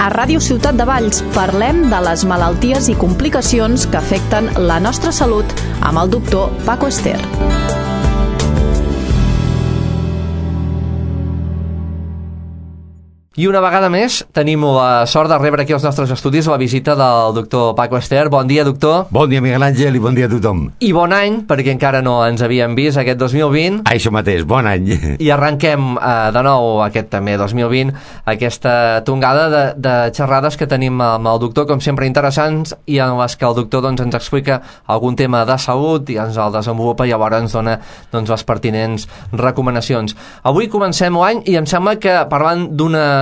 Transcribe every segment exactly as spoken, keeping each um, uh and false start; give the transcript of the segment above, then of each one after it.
A Ràdio Ciutat de Valls parlem de les malalties i complicacions que afecten la nostra salut amb el doctor Paco Ester. I una vegada més tenim la sort de rebre aquí als nostres estudis la visita del doctor Paco Ester. Bon dia, doctor. Bon dia, Miguel Àngel, i bon dia a tothom. I bon any, perquè encara no ens havíem vist aquest dos mil vint. Això mateix, bon any. I arrenquem eh, de nou aquest també dos mil vint, aquesta tongada de, de xerrades que tenim amb el doctor, com sempre interessants, i en les que el doctor doncs, ens explica algun tema de salut i ens el desenvolupa i llavors ens dona doncs, les pertinents recomanacions. Avui comencem l'any i em sembla que parlant d'una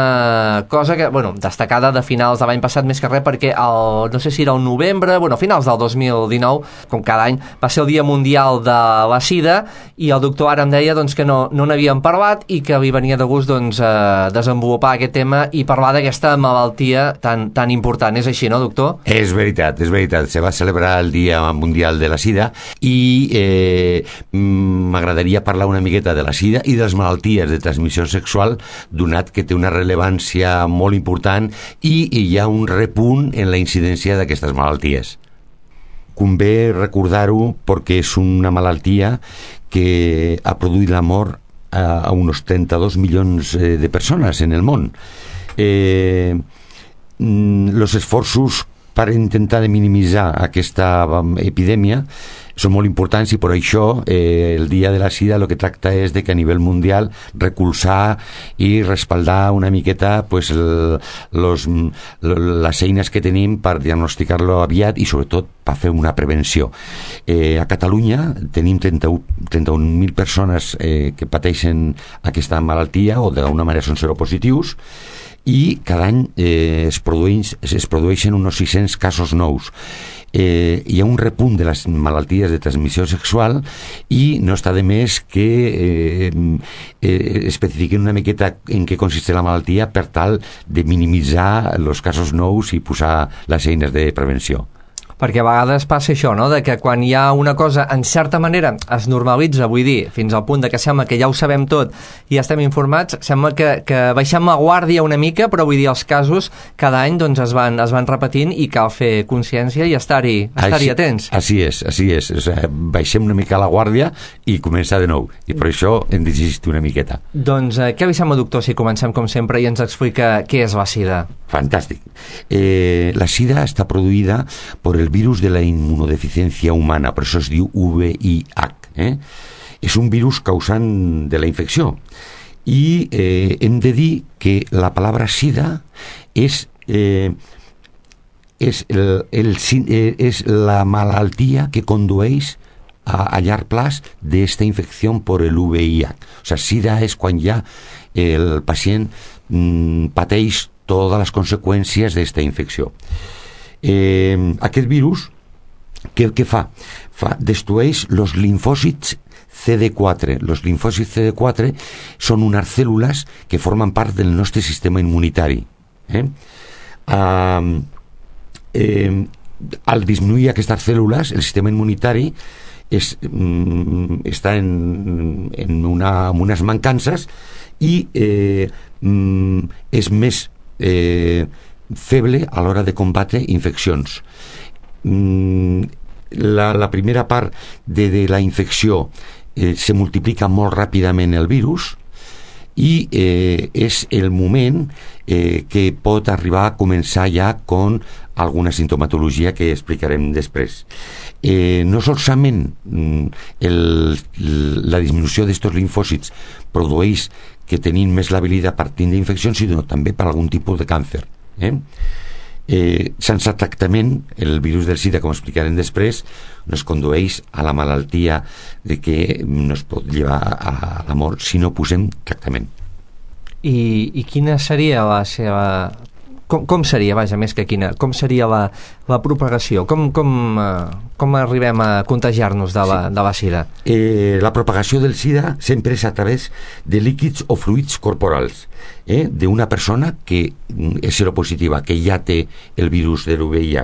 cosa que, bueno, destacada de finals de l'any passat més que res perquè el, no sé si era el novembre, bueno, finals del dos mil dinou, com cada any, va ser el Dia Mundial de la Sida i el doctor ara em deia doncs, que no, no n'havíem parlat i que li venia de gust doncs, eh, desenvolupar aquest tema i parlar d'aquesta malaltia tan, tan important. És així, no, doctor? És veritat, és veritat. Se va celebrar el Dia Mundial de la Sida i eh, m'agradaria parlar una miqueta de la sida i de les malalties de transmissió sexual, donat que té una rellevància molt important i hi ha un repunt en la incidència d'aquestes malalties. Convé recordar-ho perquè és una malaltia que ha produït la mort a, a uns trenta-dos milions de persones en el món. Eh, los esforços per intentar de minimitzar aquesta epidèmia són molt importants i per això eh, el Dia de la Sida el que tracta és de que a nivell mundial recolzar i respaldar una miqueta pues, el, los, les eines que tenim per diagnosticar-lo aviat i sobretot per fer una prevenció. Eh, a Catalunya tenim trenta-un mil persones eh, que pateixen aquesta malaltia o d'alguna manera són seropositius i cada any eh, es, produeix, es produeixen uns sis-cents casos nous. Eh, hi ha un repunt de les malalties de transmissió sexual i no està de més que eh, eh, especifiquen una miqueta en què consiste la malaltia per tal de minimitzar els casos nous i posar les eines de prevenció. Perquè a vegades passa això, no?, de que quan hi ha una cosa, en certa manera, es normalitza, vull dir, fins al punt de que sembla que ja ho sabem tot i ja estem informats, sembla que, que baixem la guàrdia una mica, però vull dir, els casos cada any doncs, es, van, es van repetint i cal fer consciència i estar-hi estar-hi atents. Així és, així és. O sigui, baixem una mica la guàrdia i començar de nou. I per això hem d'insistir una miqueta. Doncs eh, què li sembla, doctor, si comencem com sempre i ens explica què és la sida? Fantàstic. Eh, la sida està produïda per el virus de la inmunodeficiència humana, per això es diu V I H. Eh? És un virus causant de la infecció. I eh, hem de dir que la paraula sida és, eh, és, el, el, eh, és la malaltia que condueix a, a llarg plaç d'esta infecció per el V I H. O sigui, sida és quan ja el pacient mm, pateix totes les conseqüències d'esta infecció. Eh, aquest virus què, què fa? fa? Destrueix els linfòcits C D quatre. Els linfòcits C D quatre són unes cèl·lules que formen part del nostre sistema immunitari. Eh? Uh, eh, al disminuir aquestes cèl·lules, el sistema immunitari és, mm, està en, en, una, en unes mancances i eh, mm, és més eh, feble a l'hora de combatre infeccions. Mm, la, la primera part de, de la infecció eh, se multiplica molt ràpidament el virus i eh, és el moment eh, que pot arribar a començar ja con alguna sintomatologia que explicarem després. Eh, no solament el, la disminució d'estos linfòcits produeix que tenim més l'habilitat per tindre infeccions, sinó també per algun tipus de càncer. Eh? Eh, sense tractament, el virus del sida, com explicarem després, no es condueix a la malaltia de que no es pot llevar a la mort si no posem tractament. I, i quina seria la seva... Com, com seria, vaja, més que quina, com seria la, la propagació? Com, com, com arribem a contagiar-nos de la, sí. de la sida? Eh, la propagació del sida sempre és a través de líquids o fluids corporals eh, d'una persona que és seropositiva, que ja té el virus del V I H.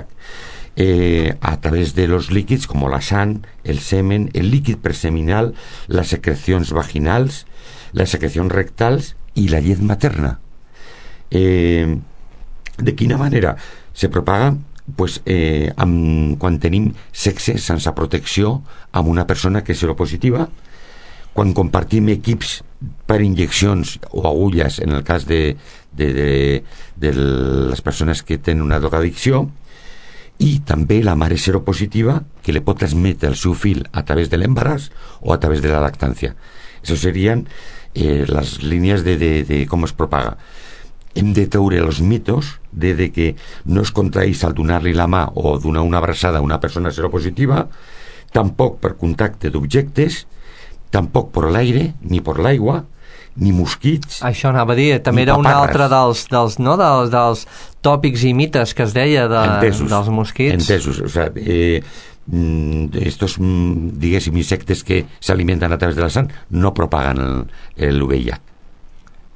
Eh, a través de los líquids com la sang, el semen, el líquid preseminal, les secrecions vaginals, les secrecions rectals i la llet materna. Eh, De quina manera se propaga? Pues, eh, amb, quan tenim sexe sense protecció amb una persona que és seropositiva, quan compartim equips per injeccions o agulles en el cas de, de, de, de les persones que tenen una drogadicció, i també la mare seropositiva que li pot transmetre el seu fill a través de l'embaràs o a través de la lactància. Això serien eh, les línies de, de, de com es propaga. Hem de treure els mitos de, de que no es contraeix al donar-li la mà o donar una abraçada a una persona seropositiva, tampoc per contacte d'objectes, tampoc per l'aire, ni per l'aigua, ni mosquits. Això anava a dir, també era un altre dels, dels, no, dels, dels tòpics i mites que es deia de, entesos, dels mosquits. Entesos, o sea, eh, estos, diguéssim, insectes que s'alimenten a través de la sang no propaguen l'U V I H.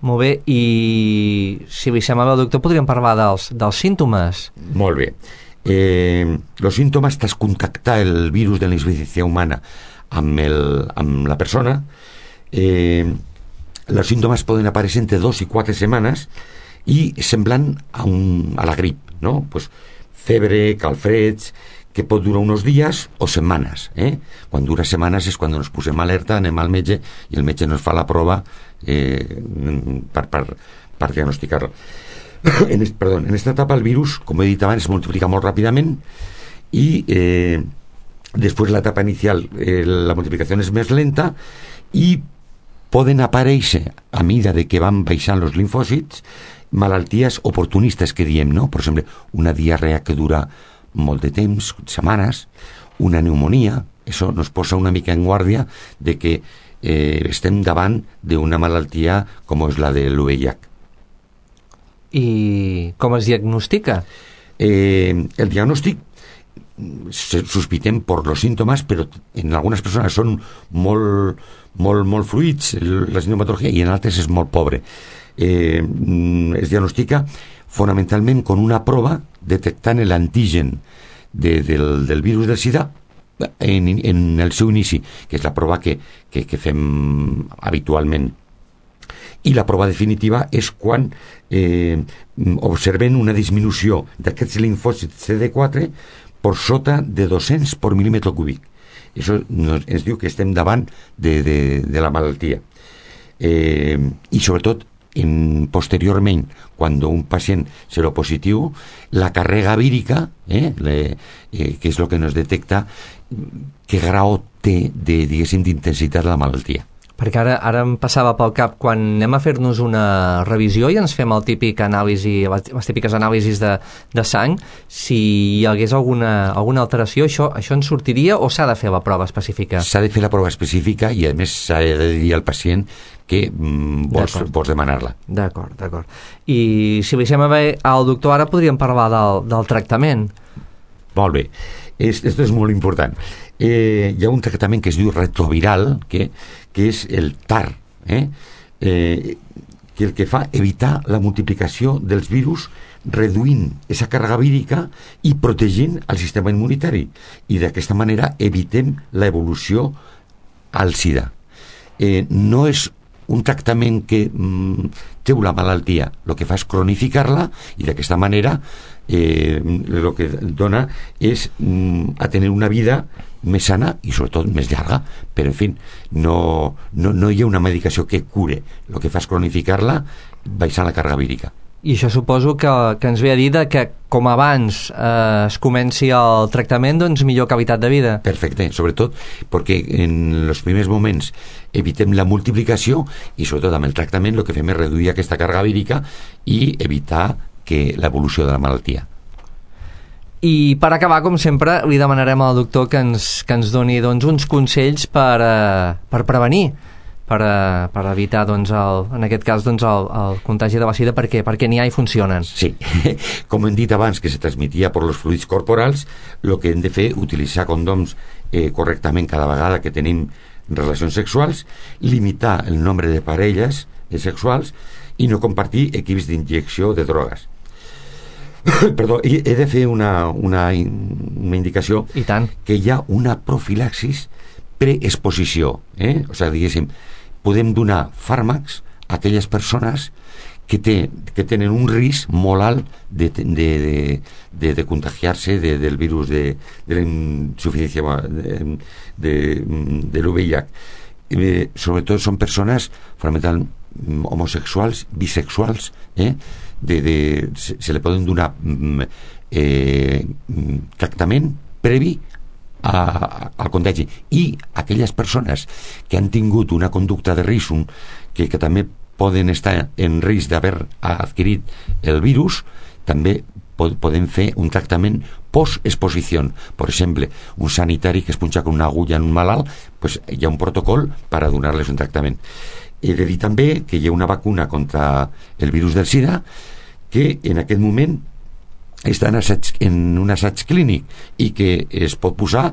Molt bé, i si li sembla bé, doctor, podríem parlar dels, dels símptomes. Molt bé. Eh, los síntomas tras contactar el virus de la insuficiencia humana amb, el, amb la persona, eh, els símptomes poden aparèixer entre dos i quatre setmanes i semblant a, un, a la grip, no? Pues, febre, calfreds, que pot durar uns dies o setmanes, eh? Quan dura setmanes és quan ens posem alerta, anem al metge i el metge ens fa la prova eh, per, per, per diagnosticar-lo. En, est, perdó, en esta etapa el virus, com he dit abans, es multiplica molt ràpidament i eh, després l'etapa inicial eh, la multiplicació és més lenta i poden aparèixer a mida de que van baixant els linfòcits malalties oportunistes que diem, no? Per exemple, una diarrea que dura molt de temps, setmanes, una pneumonia, això nos posa una mica en guàrdia de que eh, estem davant d'una malaltia com és la de l'U V I H. I com es diagnostica? Eh, el diagnòstic sospitem per los síntomas, però en algunes persones són molt, molt, molt fluids la sintomatologia i en altres és molt pobre. Eh, es diagnostica fonamentalment con una prova detectant l'antigen de, del, del virus del sida en, en el seu inici, que és la prova que, que, que fem habitualment. I la prova definitiva és quan eh, observem una disminució d'aquests linfòcits C D quatre per sota de dos-cents per mil·límetre cúbic. Això ens diu que estem davant de, de, de la malaltia. Eh, I sobretot en, posteriorment, quan un pacient seropositiu, la càrrega vírica, eh, le, eh, que és el que nos detecta què grau té de, diguéssim, d'intensitat la malaltia. Perquè ara, ara em passava pel cap quan anem a fer-nos una revisió i ens fem el típic anàlisi, les típiques anàlisis de, de sang, si hi hagués alguna, alguna alteració, això, això ens sortiria o s'ha de fer la prova específica? S'ha de fer la prova específica i a més s'ha de dir al pacient que mm, vols, vols demanar-la. D'acord, d'acord. I si li sembla bé al doctor, ara podríem parlar del, del tractament. Molt bé. Esto és molt important. Eh, hi ha un tractament que es diu retroviral, que, que és el T A R, eh? Eh, que el que fa evitar la multiplicació dels virus reduint aquesta càrrega vírica i protegint el sistema immunitari. I d'aquesta manera evitem l'evolució al sida. Eh, no és un tractament que mm, treu la malaltia, el que fa és cronificar-la i d'aquesta manera eh, el que dona és mm, a tenir una vida més sana i sobretot més llarga, però en fi no, no, no hi ha una medicació que cure, el que fa és cronificar-la baixant la càrrega vírica. I això suposo que, que ens ve a dir que com abans eh, es comenci el tractament, doncs millor qualitat de vida. Perfecte, sobretot perquè en els primers moments evitem la multiplicació i sobretot amb el tractament el que fem és reduir aquesta càrrega vírica i evitar que l'evolució de la malaltia. I per acabar, com sempre, li demanarem al doctor que ens, que ens doni doncs, uns consells per, eh, per prevenir, per, eh, per evitar, doncs, el, en aquest cas, doncs, el, el contagi de la sida, perquè, perquè n'hi ha i funcionen. Sí, com hem dit abans que se transmetia per els fluids corporals, el que hem de fer és utilitzar condòms eh, correctament cada vegada que tenim relacions sexuals, limitar el nombre de parelles sexuals i no compartir equips d'injecció de drogues. Perdó, he de fer una, una, una indicació. I tant. Que hi ha una profilaxis preexposició, eh? O sigui, diguéssim, podem donar fàrmacs a aquelles persones que, té, que tenen un risc molt alt de, de, de, de, de contagiar-se de, del virus de, de la insuficiència de, de, de l'U V I H. Eh, sobretot són persones fonamentalment homosexuals, bisexuals, eh? de, de, se, se li poden donar eh, tractament previ a, a, al contagi, i aquelles persones que han tingut una conducta de risc un, que, que també poden estar en risc d'haver adquirit el virus, també pod, podem fer un tractament post-exposició. Per exemple, un sanitari que es punxa con una agulla en un malalt, pues hi ha un protocol per a donar-les un tractament. He de dir també que hi ha una vacuna contra el virus del SIDA que en aquest moment està en, assaig, en un assaig clínic i que es pot posar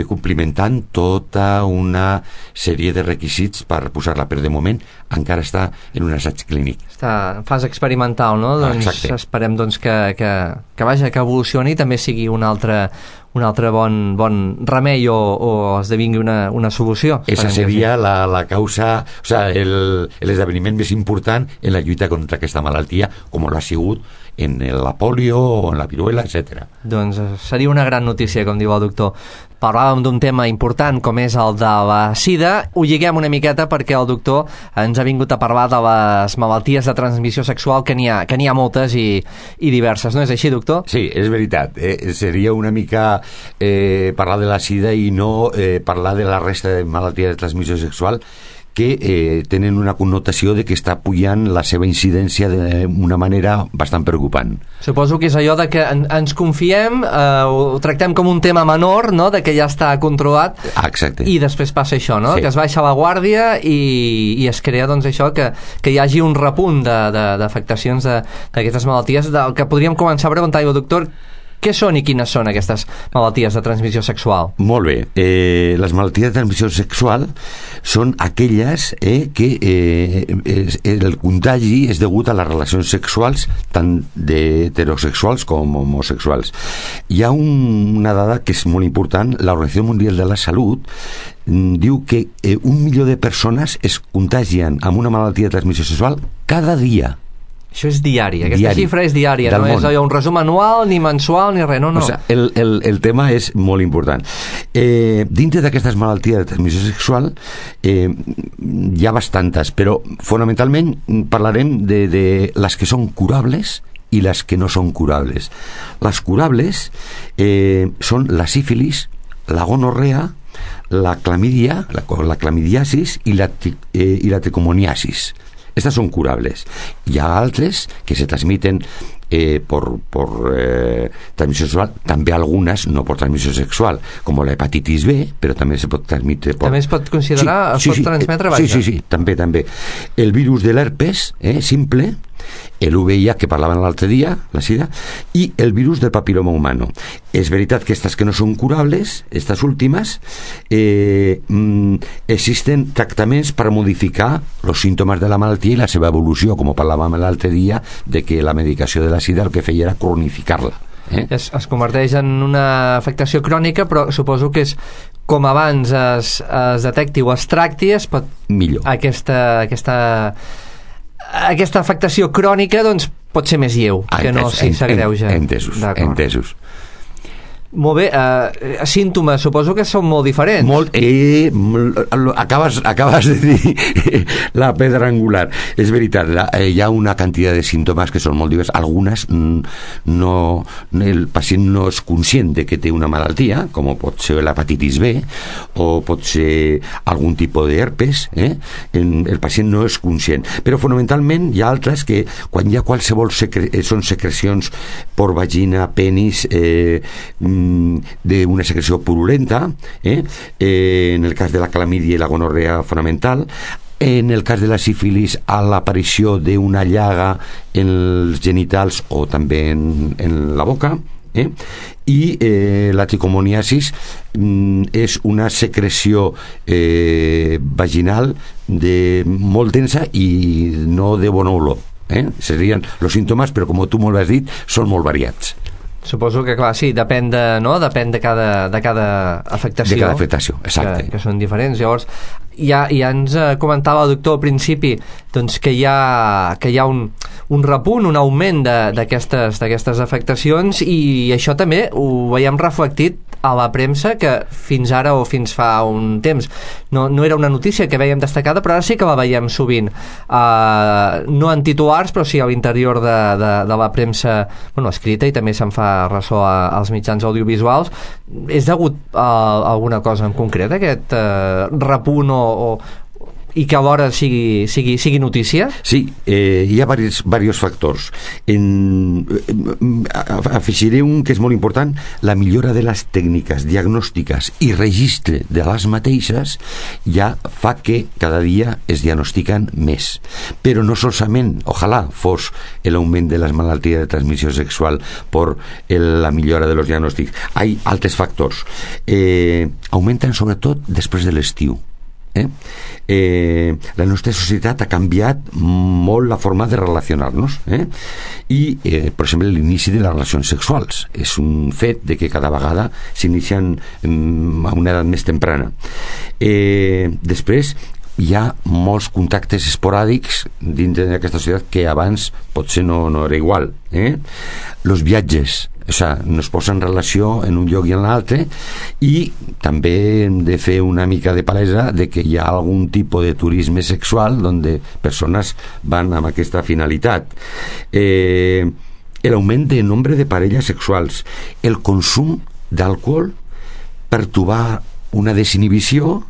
complimentant tota una sèrie de requisits per posar-la, però de moment encara està en un assaig clínic. Està en fase experimental, no? Doncs exacte. Esperem doncs, que, que, que vaja, que evolucioni i també sigui un altre, un altre bon, bon remei o, o esdevingui una, una solució. Esa seria la, la causa, o sea, l'esdeveniment més important en la lluita contra aquesta malaltia, com l'ha sigut en la polio o en la viruela, etcètera. Doncs seria una gran notícia, com diu el doctor. Parlàvem d'un tema important com és el de la sida. Ho lliguem una miqueta perquè el doctor ens ha vingut a parlar de les malalties de transmissió sexual, que n'hi ha, que n'hi ha moltes i, i diverses. No és així, doctor? Sí, és veritat. Eh, seria una mica eh, parlar de la sida i no eh, parlar de la resta de malalties de transmissió sexual que eh, tenen una connotació de que està pujant la seva incidència d'una manera bastant preocupant. Suposo que és allò de que en, ens confiem, eh, ho tractem com un tema menor, no?, de que ja està controlat. Ah, exacte. I després passa això, no?, sí. Que es baixa la guàrdia i, i es crea, doncs, això, que, que hi hagi un repunt d'afectacions d'aquestes malalties, del que podríem començar a preguntar, doctor, què són i quines són aquestes malalties de transmissió sexual? Molt bé. Eh, les malalties de transmissió sexual són aquelles eh, que eh, es, el contagi és degut a les relacions sexuals tant d'heterosexuals com homosexuals. Hi ha un, una dada que és molt important. L'Organització Mundial de la Salut diu que eh, un milió de persones es contagien amb una malaltia de transmissió sexual cada dia. Això és diari, aquesta diari, xifra és diària, no món. És allò, un resum anual, ni mensual, ni res, no, no. O sea, el, el, el tema és molt important. Eh, dintre d'aquestes malalties de transmissió sexual eh, hi ha bastantes, però fonamentalment parlarem de, de les que són curables i les que no són curables. Les curables eh, són la sífilis, la gonorrea, la clamidia, la, la clamidiasis i la, eh, i la tricomoniasis. Estas son curables. Hi ha altres que se transmiten eh, por, por eh, transmisión sexual, també algunes no por transmissió sexual, com la hepatitis B, però també se pot transmetre por... També es pot considerar, sí, es sí, pot sí, transmetre, sí, sí, sí, també, també. El virus de l'herpes, eh, simple, el U V I H que parlaven l'altre dia, la sida, i el virus del papiloma humano. És veritat que estas que no són curables, estas últimes, eh, mm, existen tractaments per modificar els símptomes de la malaltia i la seva evolució, com parlàvem l'altre dia, de que la medicació de la sida el que feia era cronificar-la. Eh? Es, es converteix en una afectació crònica, però suposo que és com abans es, es detecti o es tracti, es pot... Millor. Aquesta... aquesta aquesta afectació crònica doncs pot ser més lleu, que no si s'agreuja. Entesos, entesos. Molt bé, uh, símptomes suposo que són molt diferents. Molt, eh, acabes, acabes de dir la pedra angular. És veritat, la, eh, hi ha una quantitat de símptomes que són molt diversos. Algunes no, el pacient no és conscient de que té una malaltia, com pot ser l'hepatitis B o pot ser algun tipus d'herpes, eh? El pacient no és conscient. Però fonamentalment hi ha altres que quan hi ha qualsevol secre són secrecions per vagina, penis, eh, d'una secreció purulenta, eh? Eh, en el cas de la clamidia i la gonorrea fonamental, en el cas de la sífilis a l'aparició d'una llaga en els genitals o també en, en la boca, eh? I eh, la tricomoniasis mm, és una secreció eh, vaginal de, molt densa i no de bona olor, eh? Serien els símptomes, però com tu molt has dit, són molt variats. Suposo que, clar, sí, depèn de, no? depèn de cada, de cada afectació. De cada afectació, exacte. Que, que són diferents. Llavors, ja, ja ens comentava el doctor al principi doncs, que hi ha, que hi ha un, un repunt, un augment d'aquestes d'aquestes afectacions, i això també ho veiem reflectit a la premsa, que fins ara o fins fa un temps no, no era una notícia que veiem destacada, però ara sí que la veiem sovint, uh, no en titulars però sí a l'interior de, de, de la premsa, bueno, escrita, i també se'n fa ressò a, als mitjans audiovisuals. És degut a, a alguna cosa en concret aquest uh, repunt o, o i que alhora sigui, sigui, sigui notícia? Sí, eh, hi ha diversos, diversos factors. En, afegiré un que és molt important: la millora de les tècniques diagnòstiques i registre de les mateixes ja fa que cada dia es diagnostiquen més. Però no solament, ojalà fos l'augment de les malalties de transmissió sexual per el, la millora de los diagnòstics. Hi ha altres factors. Eh, augmenten sobretot després de l'estiu. Eh? Eh, la nostra societat ha canviat molt la forma de relacionar-nos, eh? I eh, per exemple l'inici de les relacions sexuals és un fet de que cada vegada s'inicien mm, a una edat més temprana. Eh, després hi ha molts contactes esporàdics dintre d'aquesta societat que abans potser no, no era igual, eh? Los viatges, o sea, nos posa en relació en un lloc i en l'altre, i també hem de fer una mica de palesa de que hi ha algun tipus de turisme sexual donde persones van amb aquesta finalitat. Eh, l'augment de nombre de parelles sexuals, el consum d'alcohol per trobar una desinhibició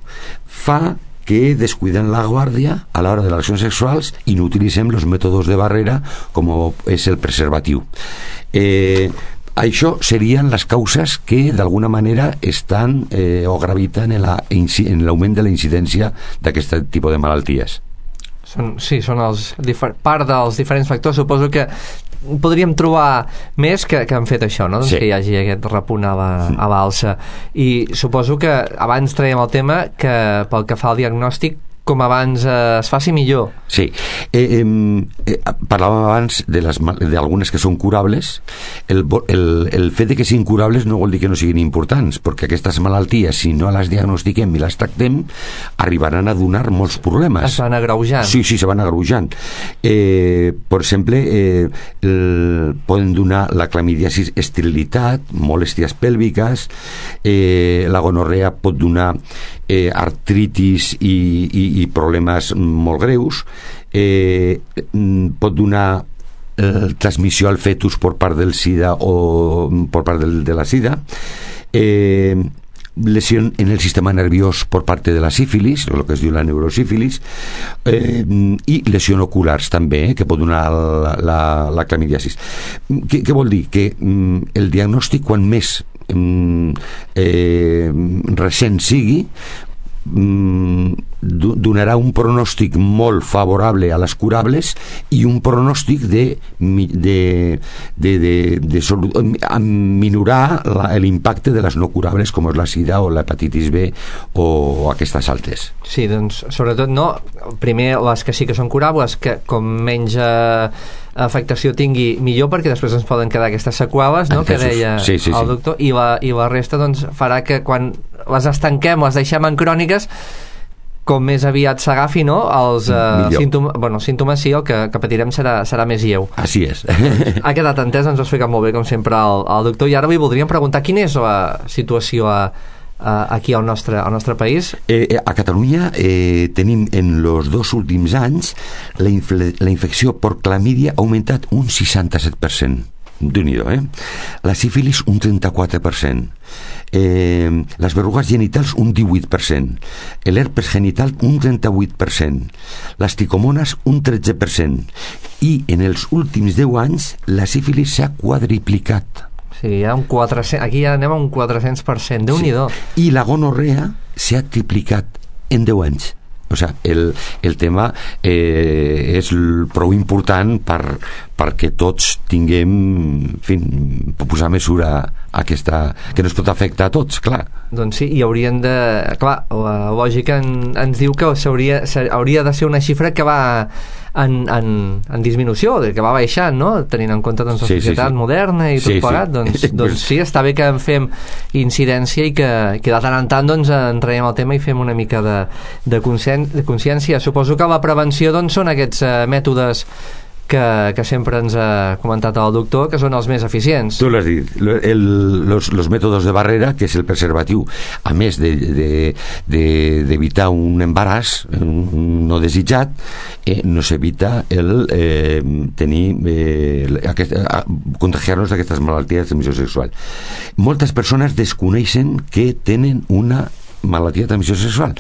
fa que descuiden la guàrdia a l'hora de les relacions sexuals i no utilitzem els mètodes de barrera com és el preservatiu. Eh, això serien les causes que d'alguna manera estan eh, o graviten en, la, en l'augment de la incidència d'aquest tipus de malalties. Són, sí, són els part dels diferents factors. Suposo que podríem trobar més que, que han fet això, no? Doncs sí. Que hi hagi aquest repunt a la, a l'alça. I suposo que abans traiem el tema que pel que fa al diagnòstic, com abans eh, es faci millor. Sí. Eh, eh, parlàvem abans de les, d'algunes que són curables. El, el, el fet de que siguin curables no vol dir que no siguin importants, perquè aquestes malalties, si no les diagnostiquem i les tractem, arribaran a donar molts problemes. Es van agreujant. Sí, sí, se van agreujant. Eh, per exemple, eh, el, poden donar la clamidiasis, esterilitat, molèsties pèlviques, eh, la gonorrea pot donar eh, artritis i, i, i problemes molt greus, eh, pot donar eh, transmissió al fetus per part del sida o per part del, de la sida, eh, lesión en el sistema nerviós por parte de la sífilis, o el que es diu la neurosífilis, eh, i lesió oculars també, eh, que pot donar la, la, la clamidiasis. Què, què vol dir? Que mm, el diagnòstic, quan més mm, eh, recent sigui, donarà un pronòstic molt favorable a les curables i un pronòstic de, de, de, de, de sol, a minorar l'impacte de les no curables com és la sida o l'hepatitis B o aquestes altres. Sí, doncs sobretot no, primer les que sí que són curables, que com menys eh, afectació tingui millor, perquè després ens poden quedar aquestes seqüeles, no? Que deia sí, sí, el sí. doctor, i la, i la resta doncs farà que quan les estanquem, les deixem en cròniques, com més aviat s'agafi, no? Els eh, símptomes, bueno, símptomes sí, el que, que patirem serà, serà més lleu. Així és. Ha quedat entès, ens ho ha explicat molt bé, com sempre, el, el doctor, i ara li voldríem preguntar quina és la situació a, a, aquí al nostre, al nostre país. Eh, a Catalunya eh, tenim en els dos últims anys la, infle, la infecció per clamídia ha augmentat un seixanta-set per cent. Déu-n'hi-do, eh? La sífilis un trenta-quatre per cent. Eh, les verrugues genitals un divuit per cent, l'herpes genital un trenta-vuit per cent, les tricomones un tretze per cent, i en els últims deu anys la sífilis s'ha quadriplicat. Sí, hi ha un quatre cents, aquí ja anem a un quatre-cents per cent, Déu-n'hi-do. Sí. I la gonorrea s'ha triplicat en deu anys. O sea, el, el tema eh, és prou important per, perquè tots tinguem, en fi, posar mesura a aquesta, que no es pot afectar a tots, clar. Doncs sí, i haurien de... Clar, la lògica en, ens diu que s'hauria, hauria de ser una xifra que va en, en, en disminució, que va baixant, no? Tenint en compte doncs, la sí, societat sí, sí. moderna i tot sí, plegat, sí. doncs, doncs sí, està bé que en fem incidència i que, que de tant en tant doncs, en traiem el tema i fem una mica de, de, conscien, de consciència. Suposo que la prevenció doncs, són aquests eh, mètodes que, que sempre ens ha comentat el doctor, que són els més eficients. Tu l'has dit, el, los, los métodos de barrera, que és el preservatiu, a més d'evitar de, de, de, un embaràs no desitjat, eh, no s'evita el eh, tenir eh, aquest, contagiar-nos d'aquestes malalties de transmissió sexual. Moltes persones desconeixen que tenen una malaltia de transmissió sexual,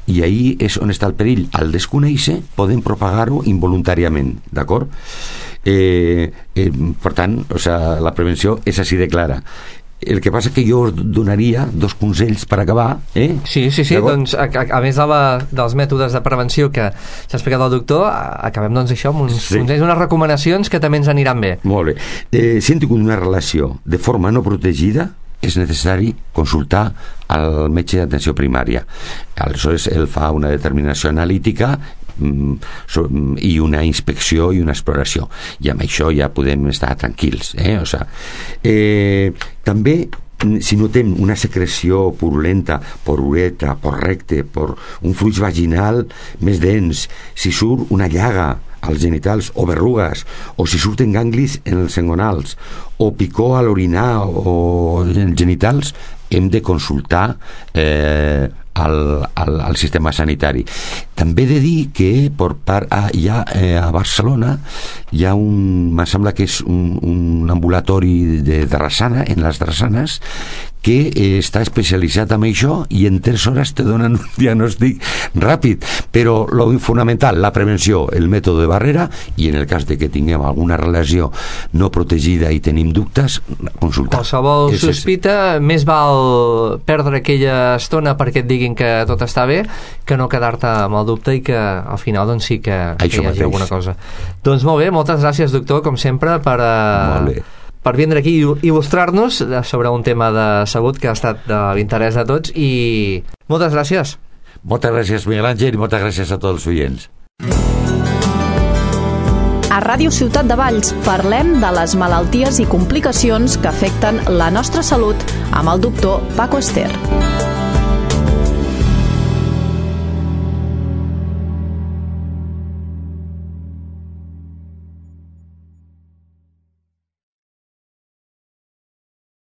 i ahí és on està el perill. Al desconèixer poden propagar-ho involuntàriament, d'acord? Eh, eh, per tant, o sea, la prevenció és així de clara. El que passa que jo us donaria dos consells per acabar, eh? Sí, sí, sí, doncs a, a, a més de la, dels mètodes de prevenció que s'ha explicat el doctor, acabem doncs això amb uns sí. consells, unes recomanacions que també ens aniran bé. Molt bé. Eh, si hem tingut una relació de forma no protegida, és necessari consultar al metge d'atenció primària. Aleshores ell fa una determinació analítica i una inspecció i una exploració, i amb això ja podem estar tranquils, eh? O sea, eh, també si notem una secreció purulenta per uretra, per recte, per un fluix vaginal més dens, si surt una llaga als genitals o berrugues, o si surten ganglis en els engonals, o picor a l'orinar o en els genitals, hem de consultar eh, al, al, al sistema sanitari. També he de dir que per part, ah, ja, eh, a Barcelona hi ha un, me sembla que és un, un ambulatori de Drassana, en les Drassanes, que eh, està especialitzat en això, i en tres hores te donen un diagnòstic ràpid, però lo fonamental, la prevenció, el mètode de barrera, i en el cas de que tinguem alguna relació no protegida i tenim dubtes, consultar. Qualsevol és sospita, és... més val perdre aquella estona perquè et diguin que tot està bé, que no quedar-te amb el dubte i que al final doncs sí que, que hi hagi mateix. Alguna cosa. Doncs molt bé, moltes gràcies, doctor, com sempre, per... Uh... per vindre aquí i il·lustrar-nos sobre un tema de salut que ha estat de l'interès de tots, i moltes gràcies. Moltes gràcies, Miguel Àngel, i moltes gràcies a tots els oients. A Ràdio Ciutat de Valls parlem de les malalties i complicacions que afecten la nostra salut amb el doctor Paco Ester.